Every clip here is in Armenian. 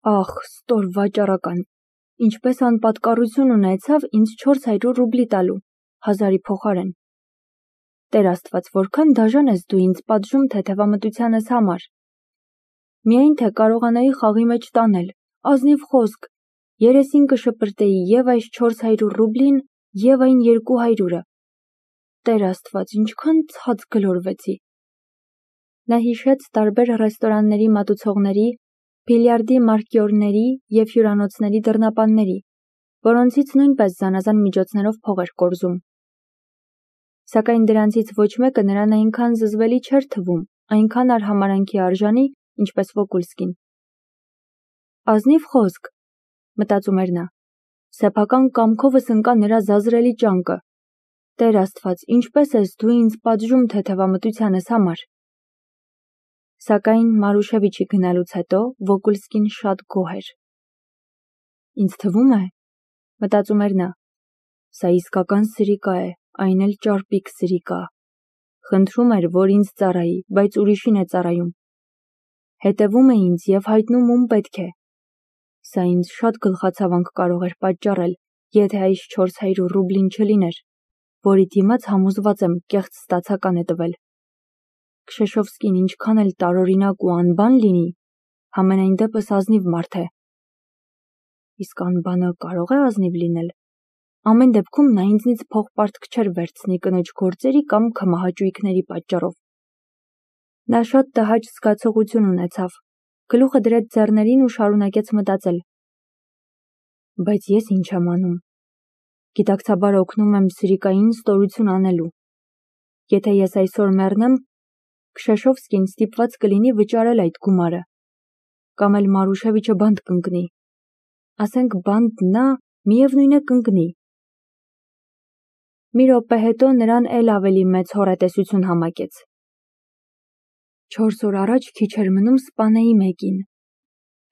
Ախ, ստոր վաճառական, ինչպես անպատկառություն ունեցավ ինձ 400 ռուբլի տալու, 1000-ի փոխարեն։ Տեր Աստված, որքան դաժան ես դու ինձ պատժում թեթևամտությանս համար։ Միայն թե կարողանայի խաղի մեջ տանել, ազնիվ խոսք, երեսին կշպրտեի և այս 400 ռուբլին, և այն 200-ը։ Տեր Աստված, ինչքան ցած գլորվեցի։ Նա հիշեց տարբեր ռեստորանների մատուցողների, բիլիարդի մարկյորների և հյուրանոցների դռնապանների, որոնցից նույնպես զանազան միջոցներով փող էր կորզում։ Սակայն դրանցից ոչ մեկը նրան այնքան զզվելի չէր թվում, այնքան արհամարհանքի արժանի, ինչպես Վոկուլսկին։ Ազնիվ խոսք, մտածում էր նա, սեփական կամքովս ընկա նրա զազրելի ճանկը։ Տեր Աստված, ինչպես ես դու ինձ պատժում թեթևամտությանս համար։ Սակայն Մարուշևիչի գնալուց հետո Վոկուլսկին շատ գոհ էր։ Ինձ թվում է, մտածում էր նա, սա իսկական սրիկա է, այն էլ ճարպիկ սրիկա։ Խնդրում էր, որ ինձ ծառայի, բայց ուրիշին է ծառայում։ Հետևում է ինձ և հայտնում ում պետք է։ Սա ինձ շատ գլխացավանք կարող էր պատճառել, եթե այս 400 ռուբլին չլիներ, որի դիմաց համոզված եմ կեղծ ստացական է տվել։ Քշեշովսկին ինչքան էլ տարօրինակ ու անբան լինի, համենայն դեպս ազնիվ մարդ է։ Իսկ անբանը կարող է ազնիվ լինել։ Ամեն դեպքում նա ինձնից փողպարտք չէր վերցնի կնոջ գործերի կամ քմահաճույքների պատճառով։ Նա շատ տհաճ զգացողություն ունեցավ, գլուխը դրեց ձեռներին ու շարունակեց մտածել։ Բայց ես ինչ եմ անում։ Գիտակցաբար օգնում եմ սրիկային ստորություն անելու։ Եթե ես այսօր մեռնեմ, Քշեշովսկին ստիպված կլինի վճարել այդ գումարը, կամ էլ Մարուշևիչը բանտ կընկնի։ Ասենք բանտ նա միևնույն է կընկնի։ Մի րոպե հետո նրան էլ ավելի մեծ հոռետեսություն համակեց։ 4 օր առաջ քիչ էր մնում սպանեի մեկին։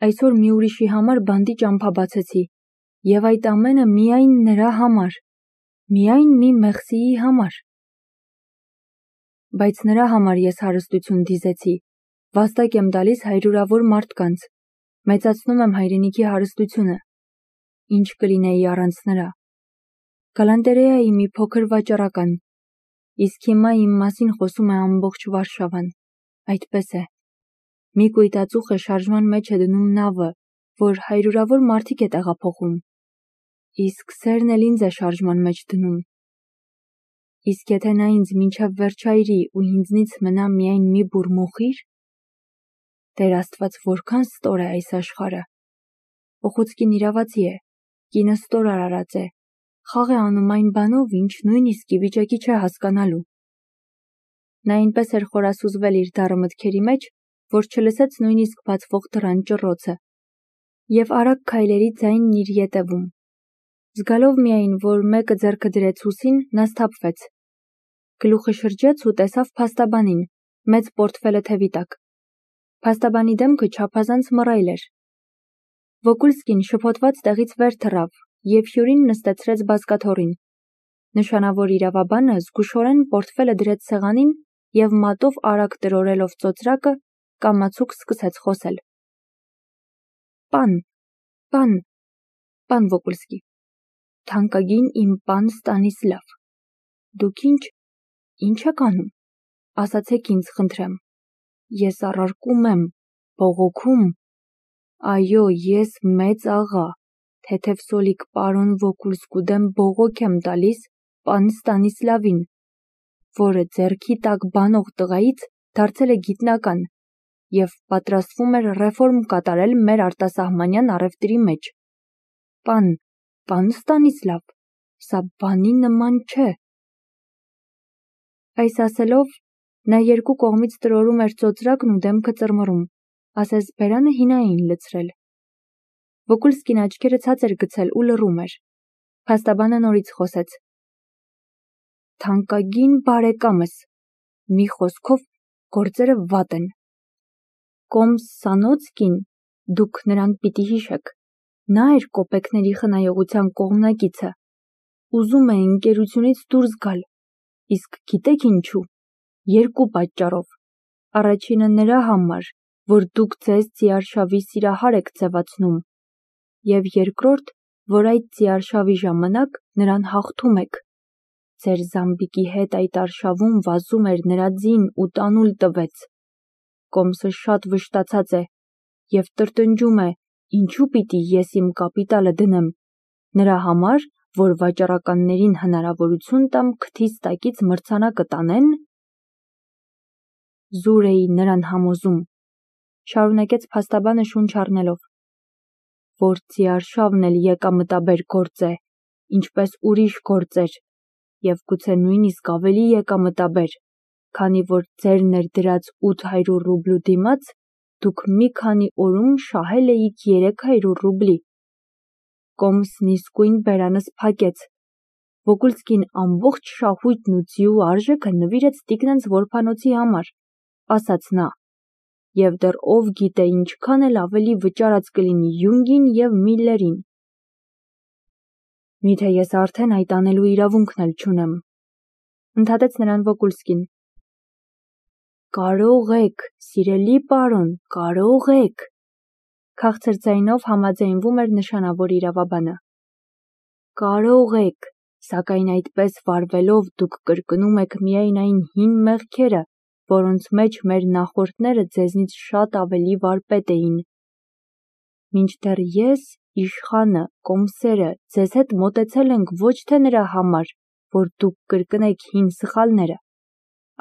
Այսօր մի ուրիշի համար բանտի ճամփա բացեցի, և այդ ամենը միայն նրա համար, միայն մի մեղսիի համար։ Բայց նրա համար ես հարստություն դիզեցի, վաստակ եմ տալիս հարյուրավոր մարդկանց, մեծացնում եմ հայրենիքի հարստությունը։ Ինչ կլինեի առանց նրա։ Գալանտերեայի մի փոքր վաճառական, իսկ հիմա իմ մասին խոսում է ամբողջ Վարշավան։ Այդպես է։ Մի կույտածուխ է շարժման մեջ է դնում նավը, որ հարյուրավոր մարդիկ է տեղափոխում։ Իսկ սերն էլ ինձ է շարժման մեջ դնում։ Իսկ եթե նա ինձ մինչև վերջ այրի ու ինձնից մնա միայն մի բուռ մոխիր։ Տեր Աստված, որքան ստոր է այս աշխարհը։ Օխոցկին իրավացի է, կինը ստոր արարած է, խաղ է անում այն բանով, ինչ նույնիսկ ի վիճակի չէ հասկանալու։ Նա այնպես էր խորասուզվել իր դառը մտքերի մեջ, որ չլսեց նույնիսկ բացվող դռան ճռոցը, և արագ քայլերի ձայնն իր ետևում։ Զգալով միայն, որ մեկը ձեռքը դրեց ուսին, նա սթափվեց։ Գլուխը շրջեց ու տեսավ փաստաբանին, մեծ պորտֆելը թևի տակ։ Փաստաբանի դեմքը չափազանց մռայլ էր։ Վոկուլսկին շփոթված տեղից վեր թռավ և հյուրին նստեցրեց բազկաթոռին։ Նշանավոր իրավաբանը զգուշորեն պորտֆելը դրեց սեղանին և մատով արագ տրորելով ծոծրակը, կամացուկ սկսեց խոսել։ Պան Վոկուլսկի, թանկագին իմ պան Ստանիսլավ, դուք ինչ եք անում, ասացեք ինձ խնդրեմ, ես առարկում եմ, բողոքում, այո, ես մեծ աղա, թեթևսոլիկ պարոն Վոկուլսկու դեմ բողոք եմ տալիս պան Ստանիսլավին, որը ձեռքի տակ բանող տղայից դարձել է գիտնական և պատրաստվում էր ռեֆորմ կատարել մեր արտասահմանյան առևտրի մեջ։ Պան Ստանիսլավ, սա բանի նման չէ։ Այս ասելով, նա երկու կողմից տրորում էր ծոծրակն ու դեմքը ծռմռում, ասես բերանը հինա էին լցրել։ Վոկուլսկին աչքերը ցած էր գցել ու լռում էր։ Փաստաբանը նորից խոսեց։ Թանկագին բարեկամս, մի խոսքով, գործերը վատ են։ Կոմսանոցկին, դուք նրան պիտի հիշեք, նա էր կոպեկների խնայողության կողմնակիցը, ուզում է ընկերությունից դուրս գալ, իսկ գիտեք ինչու, երկու պատճառով, առաջինը նրա համար, որ դուք ձեզ ձիարշավի սիրահար եք ձևացնում, և երկրորդ, որ այդ ձիարշավի ժամանակ նրան հաղթում եք։ Ձեր զամբիկի հետ այդ արշավում վազում էր նրա ձին ու տանուլ տվեց։ Կոմսը շատ վշտացած է և տրտնջում է, ինչու պիտի ես իմ կապիտալը դնեմ, նրա համար, որ վաճառականներին հնարավորություն տամ քթիս տակից մրցանակը տանեն։ Զուր էի նրան համոզում, շարունակեց փաստաբանը շունչ առնելով, որ ձիարշավն էլ եկամտաբեր գործ է, ինչպես ուրիշ գործեր, և գուցե նույնիսկ ավելի եկամտաբեր, քանի որ ձեր ներդրած 800 ռուբլու դիմաց դուք մի քանի օրում շահել էիք 300 ռուբլի։ Կոմսն իսկույն բերանս փակեց։ Վոգոլսկին ամբողջ շահույթն ու ձիու արժեքը նվիրեց տիկնանց որբանոցի համար, ասաց նա, և դեռ ով գիտե ինչքան էլ ավելի վճարած կլինի Յունգին և Միլլերին։ Միթե ես արդեն այդ անելու իրավունքն էլ չունեմ, ընդհատեց նրան Վոգոլսկին։ Կարող եք, սիրելի պարոն, կարող եք, քաղցր ձայնով համաձայնվում էր նշանավոր իրավաբանը։ Կարող եք, սակայն այդպես վարվելով դուք կրկնում եք միայն այն հին մեղքերը, որոնց մեջ մեր նախորդները ձեզնից շատ ավելի վարպետ էին։ Մինչդեռ ես, իշխանը, կոմսերը ձեզ հետ մոտեցել ենք ոչ թե նրա համար, որ դուք կրկնեք հին սխալները,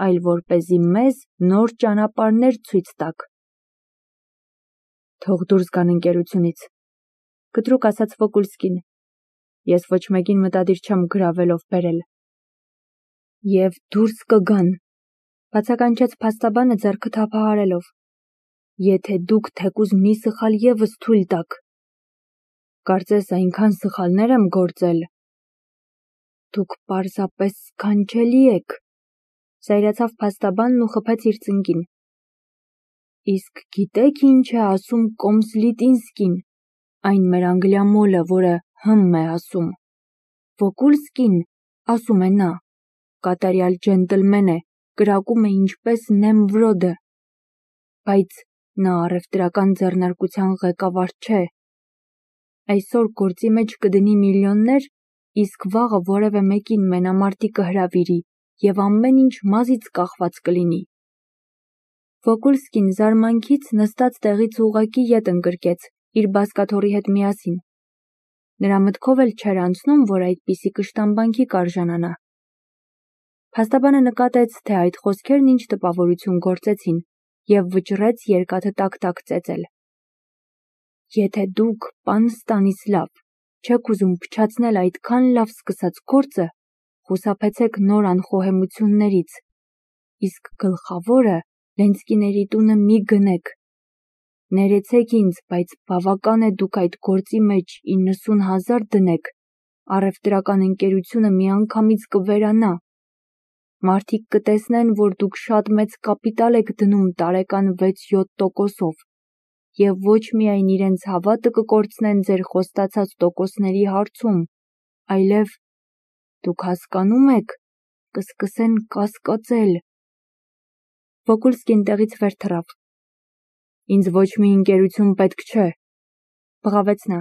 այլ որպեսզի մեզ նոր ճանապարհներ ցույց տաք։ Թող դուրս գան ընկերությունից, կտրուկ ասաց Վոգոլսկին։ Ես ոչ մեկին մտադիր չեմ գրավելով բերել։ Եվ դուրս կգան, բացականչեց փաստաբանը ձեռքը թափահարելով, եթե դուք թեկուզ մի սխալ ևս թույլ տաք։ Կարծես այնքան սխալներ եմ գործել։ Դուք պարզապես սքանչելի եք, զայրացավ փաստաբանն ու խփեց իր ծնկին։ Իսկ գիտեք ինչ է ասում Կոմսլիտինսկին, այն մեր անգլիամոլը, որը հմ է ասում։ Վոգոլսկին, ասում է նա, կատարյալ ջենտլմեն է, կրակում է ինչպես Նեմվրոդը, բայց նա առևտրական ձեռնարկության ղեկավար չէ։ Այսօր գործի մեջ կդնի միլիոններ, իսկ վաղը որևէ մեկին մենամարտի կհրավիրի և ամեն ինչ մազից կախված կլինի։ Վոգոլսկին զարմանքից նստած տեղից ուղղակի ետ ընկրկեց իր բազկաթոռի հետ միասին։ Նրա մտքով էլ չէր անցնում, որ այդպիսի կշտամբանքի կարժանանա։ Փաստաբանը նկատեց, թե այդ խոսքերն ինչ տպավորություն գործեցին, և վճռեց երկաթը տակ-տակ ծեծել։ Եթե դուք, պան Ստանիսլավ, չեք ուզում փչացնել այդքան լավ սկսած գործը, խուսափեցեք նոր անխոհեմություններից, իսկ գլխավորը Լենցկիների տունը մի գնեք։ Ներեցեք ինձ, բայց բավական է դուք այդ գործի մեջ 90,000 դնեք, առևտրական ընկերությունը միանգամից կվերանա։ Մարդիկ կտեսնեն, որ դուք շատ մեծ կապիտալ եք դնում տարեկան 6-7%-ով, և ոչ միայն իրենց հավատը կկորցնեն ձեր խոստացած տոկոսների հարցում, այլև, դուք հասկանում եք, կսկսեն կասկածել։ Վոգոլսկին տեղից վեր թռավ։ Ինձ ոչ մի ընկերություն պետք չէ, բղավեց նա։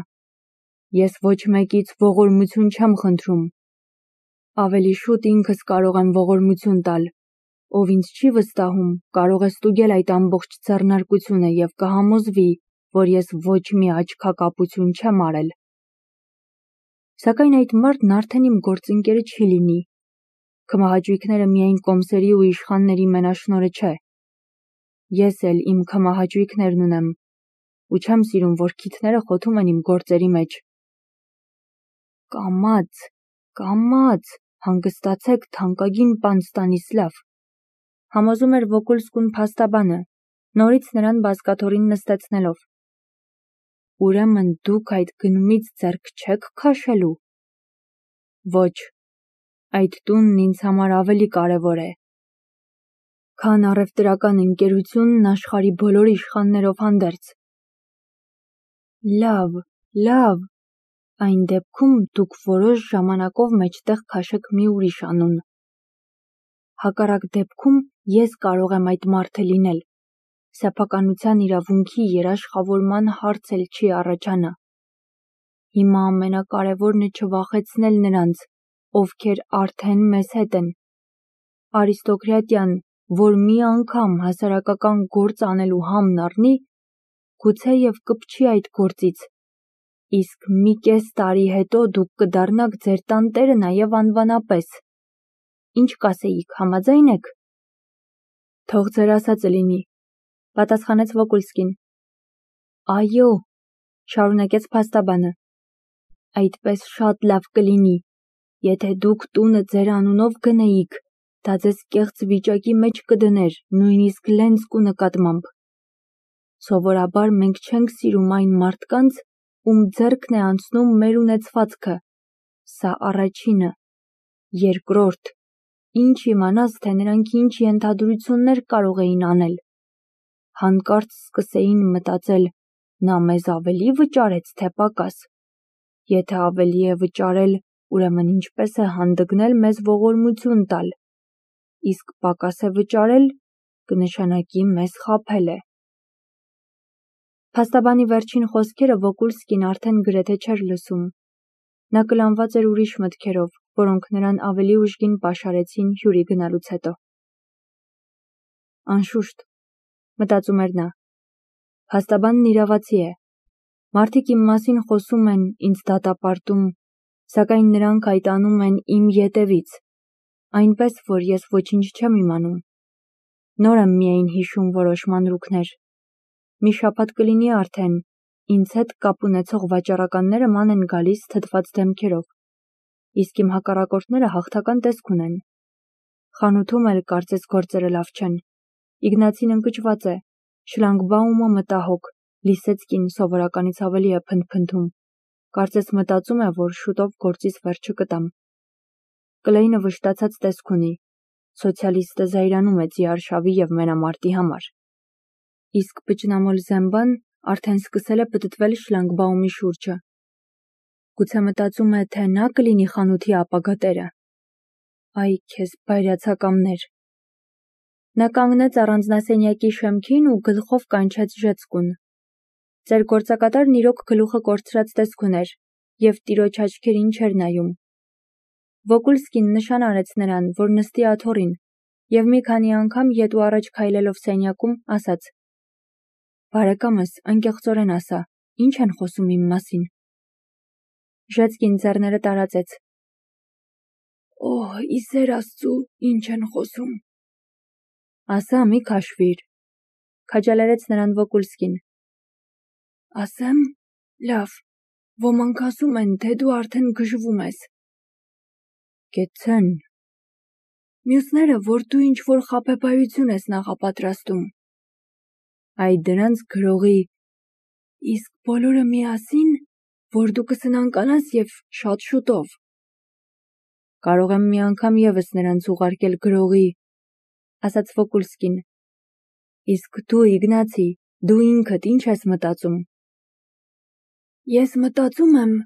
Ես ոչ մեկից ողորմություն չեմ խնդրում։ Ավելի շուտ ինքս կարող եմ ողորմություն տալ, ով ինձ չի վստահում, կարող է ստուգել այդ ամբողջ ձեռնարկությունը և կհամոզվի, որ ես ոչ մի աչքակապություն չեմ արել։ Սակայն այդ մարդն արդեն իմ գործընկերը չի լինի։ Քմահաճույքները միայն կոմսերի ու իշխանների մենաշնորհը չէ։ Ես էլ իմ քմահաճույքներն ունեմ, ու չեմ սիրում, որ քիթները խոթում են իմ գործերի մեջ։ Կամաց, կամաց, հանգստացեք, թանկագին պան Ստանիսլավ, համոզում էր Վոգոլսկուն փաստաբանը, նորից նրան բազկաթոռին նստեցնելով։ Ուրեմն դուք այդ գնումից ձեռք չեք քաշելու։ Ոչ, այդ տունն ինձ համար ավելի կարևոր է, քան առևտրական ընկերությունն աշխարհի բոլոր իշխաններով հանդերձ։ Լավ, լավ, այն դեպքում դուք որոշ ժամանակով մեջտեղ քաշեք մի ուրիշ անուն։ Հակառակ դեպքում ես կարող եմ այդ մարդը լինել, սեփականության իրավունքի երաշխավորման հարց էլ չի առաջանա։ Հիմա ամենակարևորն է չվախեցնել նրանց, ովքեր արդեն մեզ հետ են։ Արիստոկրատիան, որ մի անգամ հասարակական գործ անելու համն առնի, գուցեև կպչի այդ գործից, իսկ մի կես տարի հետո դուք կդառնաք ձեր տանտերը նաև անվանապես։ Ինչ կասեիք, համաձայն եք։ Թող ձեր ասածը լինի, պատասխանեց Վոկուլսկին։ Այո, շարունակեց փաստաբանը, այդպես շատ լավ կլինի, եթե դուք տունը ձեր անունով գնեիք, դա ձեզ կեղծ վիճակի մեջ կդներ, նույնիսկ Լենսկու նկատմամբ։ Սովորաբար մենք չենք սիրում այն մարդկանց, ում ձեռքն է անցնում մեր ունեցվածքը։ Սա առաջինը։ Երկրորդ, ինչ իմանաս, թե նրանք ինչ ենթադրություններ կարող էին անել։ Հանկարծ սկսեին մտածել, նա մեզ ավելի վճարեց, թե պակաս։ Եթե ավելի է վճարել, ուրեմն ինչպես է հանդգնել մեզ ողորմություն տալ։ Իսկ պակաս է վճարել, կնշանակի մեզ խաբել է։ Փաստաբանի վերջին խոսքերը Վոկուլսկին արդեն գրեթե չէր լսում։ Նա կլանված էր ուրիշ մտքերով, որոնք նրան ավելի ուժգին պաշարեցին հյուրի գնալուց հետո։ Անշուշտ, մտածում էր նա, փաստաբանն իրավացի է։ Մարդիկ իմ մասին խոսում են, ինձ դատապարտում, սակայն նրանք այդ անում են իմ ետևից, այնպես որ ես ոչինչ չեմ իմանում։ Նոր եմ միայն հիշում որոշ մանրուքներ։ Մի շաբաթ կլինի արդեն, ինձ հետ կապ ունեցող վաճառականները ման են գալիս թթված դեմքերով, իսկ իմ հակառակորդները հաղթական տեսք ունեն։ Խանութում էլ կարծես գործերը լավ չեն։ Իգնացին ընկճված է, Շլանգբաումը մտահոգ, Լիսեցկին սովորականից ավելի է փնթփնթում։ Կարծես մտածում է, որ շուտով գործից վերջը կտամ։ Կլեյնը վշտացած տեսք ունի։ Սոցիալիստը զայրանում է ձիարշավի և մենամարտի համար։ Իսկ Պճնամոլ Զեմբան արդեն սկսել է պտտվել Շլանգբաումի շուրջը։ Գուցե մտածում է, թե նա կլինի խանութի ապագա տերը։ Այ քեզ բայրացակամներ։ Նա կանգնեց առանձնասենյակի շեմքին ու գլխով կանչեց ժեցկուն։ Ձեր գործակատարն իրոք գլուխը կորցրած տեսք ուներ և տիրոջ աչքերին չէր նայում։ Վոկուլսկին նշան արեց նրան, որ նստի աթոռին, և մի քանի անգամ ետ ու առաջ քայլելով սենյակում, ասաց. Բարեկամս, անկեղծորեն ասա, ինչ են խոսում իմ մասին։ Ժեցկին ձեռները տարածեց։ Օհ, ի սեր Աստծու, ինչ են խոսում։ Ասա, մի քաշվիր, քաջալերեց նրան Վոկուլսկին։ Ասեմ, լավ, ոմանք ասում են, թե դու արդեն գժվում ես։ Կեցցեն։ Մյուսները, որ դու ինչ-որ խաբեբայություն ես նախապատրաստում։ Այ դրանց գրողի։ Իսկ բոլորը միասին, որ դու կսնանկանաս և շատ շուտով։ Կարող եմ մի անգամ ևս նրանց ուղարկել գրողի, ասաց Վոկուլսկին։ Իսկ դու, Իգնացի, դու ինքդ ինչ ես մտածում։ Ես մտածում եմ,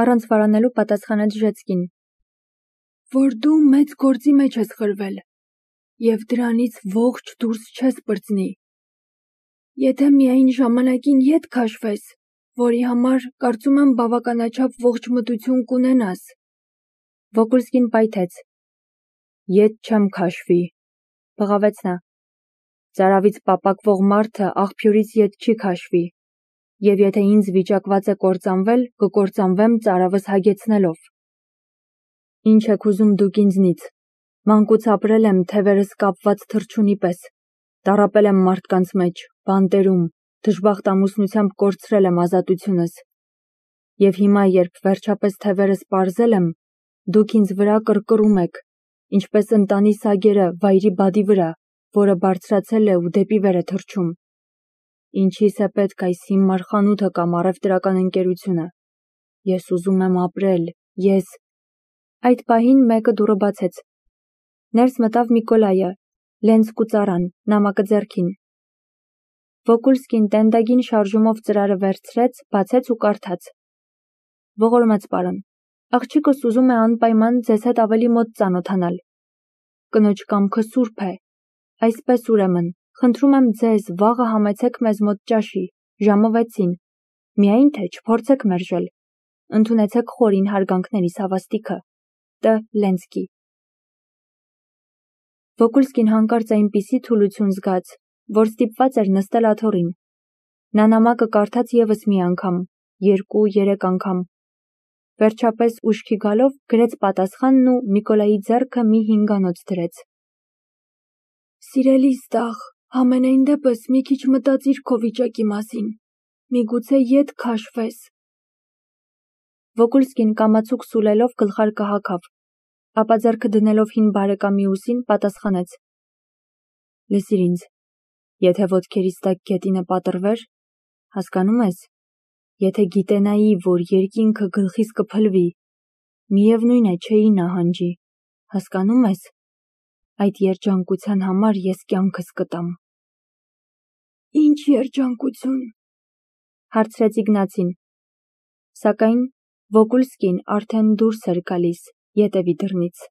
առանց վարանելու պատասխանեց Ժեցկին, որ դու մեծ գործի մեջ ես խրվել և դրանից ողջ դուրս չես պրծնի։ Եթե միայն ժամանակին ետ քաշվես, որի համար կարծում եմ բավականաչափ ողջմտություն կունենաս։ Վոկուլսկին պայթեց։ Ետ չեմ քաշվի, բղավեց նա։ Ծարավից պապակվող մարդը աղբյուրից ետ չի քաշվի, և եթե ինձ վիճակված է կործանվել, կկործանվեմ ծարավս հագեցնելով։ Ինչ եք ուզում դուք ինձնից։ Մանկուց ապրել եմ թևերս կապված թռչունի պես, տառապել եմ մարդկանց մեջ, բանտերում, դժբախտ ամուսնությամբ կորցրել եմ ազատությունս։ Եվ հիմա, երբ վերջապես թևերս պարզել եմ, դուք ինձ վրա կռկռում եք, ինչպես ընտանի սագերը վայրի բադի վրա, որը բարձրացել է ու դեպի վեր է թռչում։ Ինչիս է պետք այս հիմար խանութը կամ առևտրական ընկերությունը։ Ես ուզում եմ ապրել, ես… Այդ պահին մեկը դուռը բացեց։ Ներս մտավ Միկոլայը, Լենսկու ծառան, նամակը ձեռքին։ Վոկուլսկին տենդագին շարժումով ծրարը վերցրեց, բացեց ու կարդաց. Ողորմած պարոն, աղջիկս ուզում է անպայման ձեզ հետ ավելի մոտ ծանոթանալ։ Կնոջ կամքը սուրբ է։ Այսպես ուրեմն, Խնդրում եմ ձեզ, վաղը համեցեք մեզ մոտ ճաշի, ժամը 6-ին, միայն թե չփորձեք մերժել, ընդունեցեք խորին հարգանքներիս հավաստիքը, Տ. Լենսկի։ Վոկուլսկին հանկարծ այնպիսի թուլություն զգաց, որ ստիպված էր նստել աթոռին։ Նա նամակը կարդաց ևս մի անգամ, 2-3 անգամ։ Վերջապես ուշքի գալով գրեց պատասխանն ու Նիկոլայի ձեռքը մի հինգանոց դրեց։ Սիրելիս տաղ, համենայն դեպս մի քիչ մտածիր քո վիճակի մասին, միգուցե ետ քաշվես։ Վոկուլսկին կամացուկ սուլելով գլխարկը հագավ, ապա ձեռքը դնելով հին բարեկամի ուսին պատասխանեց. Լսիր ինձ, եթե ոտքերիս տակ գետինը պատռվեր, հասկանում ես, եթե գիտենայի, որ երկինքը գլխիս կփլվի, միևնույն է չէի նահանջի, հասկանում ես, այդ երջանկության համար ես կյանքս կտամ։ Ինչ երջանկություն, հարցրեց Իգնացին, սակայն Վոկուլսկին արդեն դուրս էր գալիս ետևի դռնից։